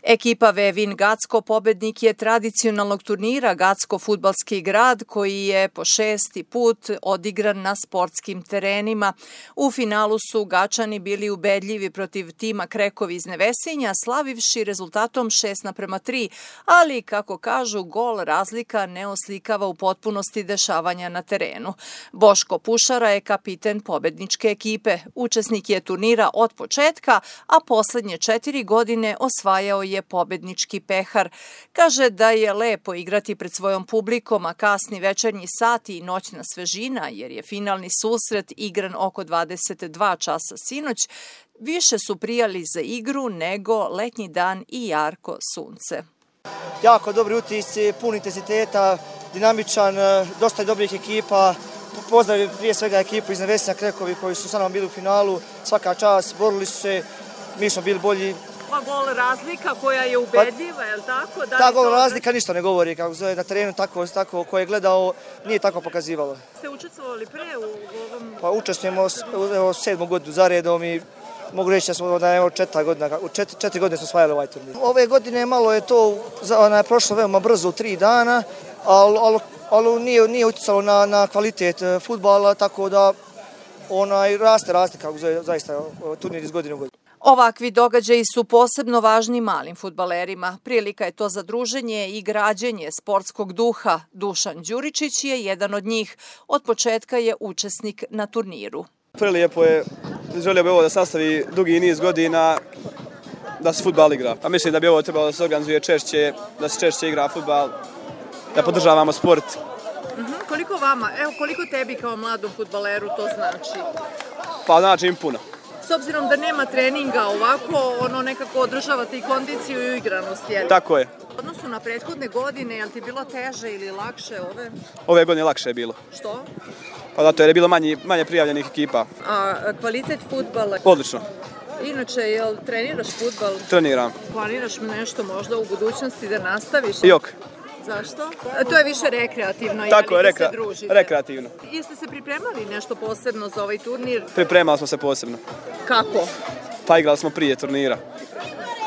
Ekipa Vevin Gacko pobednik je tradicionalnog turnira Gacko fudbalski grad koji je po 6. put odigran na sportskim terenima. U finalu su Gačani bili ubedljivi protiv tima Krekovi iz Nevesinja, slavivši rezultatom 6:3, ali kako kažu, gol razlika ne oslikava u potpunosti dešavanja na terenu. Boško Pušara je kapiten pobedničke ekipe. Učesnik je turnira od početka, a poslednje 4 godine osvajao je pobednički pehar. Kaže da je lepo igrati pred svojom publikom, a kasni večernji sati i noćna svežina, jer je finalni susret igran oko 22 časa sinoć, više su prijali za igru nego letnji dan i jarko sunce. Jako dobri utisci, pun intenziteta, dinamičan, dosta dobrih ekipa. Pozdravim prije svega ekipu iz Nevesinja Krekovi koji su sa nama bili u finalu. Svaka čast, borili su se, mi smo bili bolji. Pa gol razlika koja je ubedljiva, je li tako? Ta gol razlika ništa ne govori, kako zove na terenu, tako ko je gledao, nije tako pokazivalo. Ste učestvovali pre u ovom? Pa učestvujemo 7. godinu za redom i mogu reći da smo 4 godine smo osvajali ovaj turnir. Ove godine malo je to prošlo veoma brzo u 3 dana, ali nije uticalo na kvalitet fudbala, tako da raste kako zove zaista turnir iz godine u godinu. Ovakvi događaji su posebno važni malim fudbalerima. Prilika je to za druženje i građenje sportskog duha. Dušan Đuričić je jedan od njih. Od početka je učesnik na turniru. Prelijepo je, želio bi ovo da sastavi dugi niz godina da se fudbal igra. A mislim da bi ovo trebalo da se organizuje češće, da se češće igra fudbal, da podržavamo sport. Koliko vama, koliko tebi kao mladom fudbaleru to znači? Pa znači im puno. S obzirom da nema treninga ovako, nekako održavate i kondiciju i igranost, je li? Tako je. U odnosu na prethodne godine, je li ti bilo teže ili lakše ove? Ove godine lakše je bilo. Što? Pa zato jer je bilo manje prijavljenih ekipa. A kvalitet fudbala? Odlično. Inače, jel treniraš fudbal? Treniram. Planiraš nešto možda u budućnosti da nastaviš? Jok. Zašto? To je više rekreativno, tako je, da se družite. Rekreativno. Jeste se pripremali nešto posebno za ovaj turnir? Pripremali smo se posebno. Kako? Pa igrali smo prije turnira.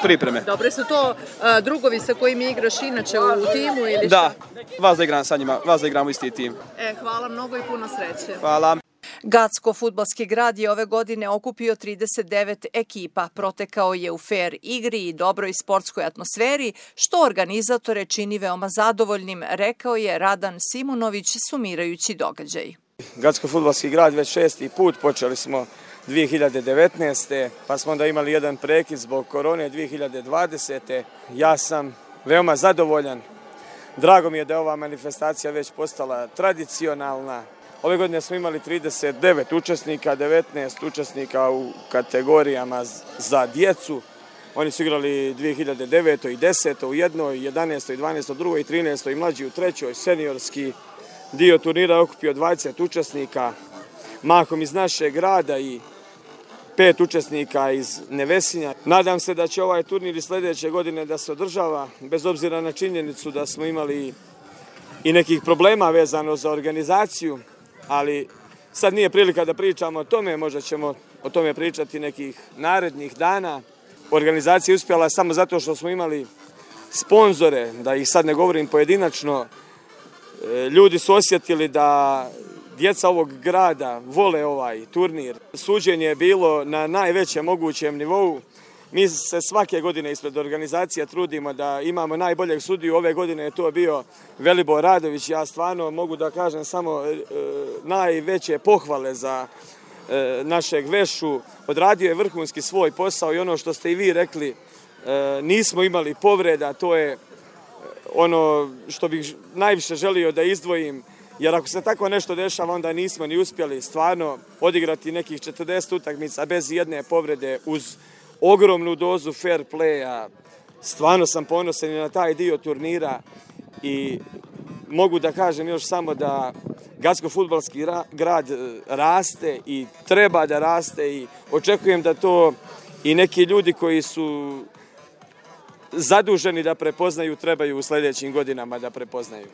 Pripreme. Dobre su to drugovi sa kojima igraš inače u timu ili šta? Da, vas da igram sa njima, vas da igramo isti tim. Hvala mnogo i puno sreće. Hvala. Gacko fudbalski grad je ove godine okupio 39 ekipa. Protekao je u fer igri i dobroj sportskoj atmosferi, što organizatore čini veoma zadovoljnim, rekao je Radan Simunović sumirajući događaj. Gacko fudbalski grad već 6. put, počeli smo 2019. pa smo onda imali jedan prekid zbog korone 2020. Ja sam veoma zadovoljan. Drago mi je da je ova manifestacija već postala tradicionalna. Ove godine smo imali 39 učesnika, 19 učesnika u kategorijama za djecu. Oni su igrali 2009. i 10. u jednoj, 11. i 12. u drugoj i 13. i mlađi u trećoj. Seniorski dio turnira okupio 20 učesnika, mahom iz našeg grada i 5 učesnika iz Nevesinja. Nadam se da će ovaj turnir i sljedeće godine da se održava, bez obzira na činjenicu da smo imali i nekih problema vezano za organizaciju, ali sad nije prilika da pričamo o tome, možda ćemo o tome pričati nekih narednih dana. Organizacija je uspjela samo zato što smo imali sponzore, da ih sad ne govorim pojedinačno. Ljudi su osjetili da djeca ovog grada vole ovaj turnir. Suđenje je bilo na najvećem mogućem nivou. Mi se svake godine ispred organizacija trudimo da imamo najboljeg sudiju. Ove godine je to bio Velibor Radović. Ja stvarno mogu da kažem samo najveće pohvale za našeg Vešu. Odradio je vrhunski svoj posao i ono što ste i vi rekli, nismo imali povreda. To je ono što bih najviše želio da izdvojim. Jer ako se tako nešto dešava, onda nismo ni uspjeli stvarno odigrati nekih 40 utakmica bez jedne povrede uz ogromnu dozu fair playa. Stvarno sam ponosan i na taj dio turnira i mogu da kažem još samo da Gacko fudbalski grad raste i treba da raste i očekujem da to i neki ljudi koji su zaduženi da prepoznaju trebaju u sljedećim godinama da prepoznaju.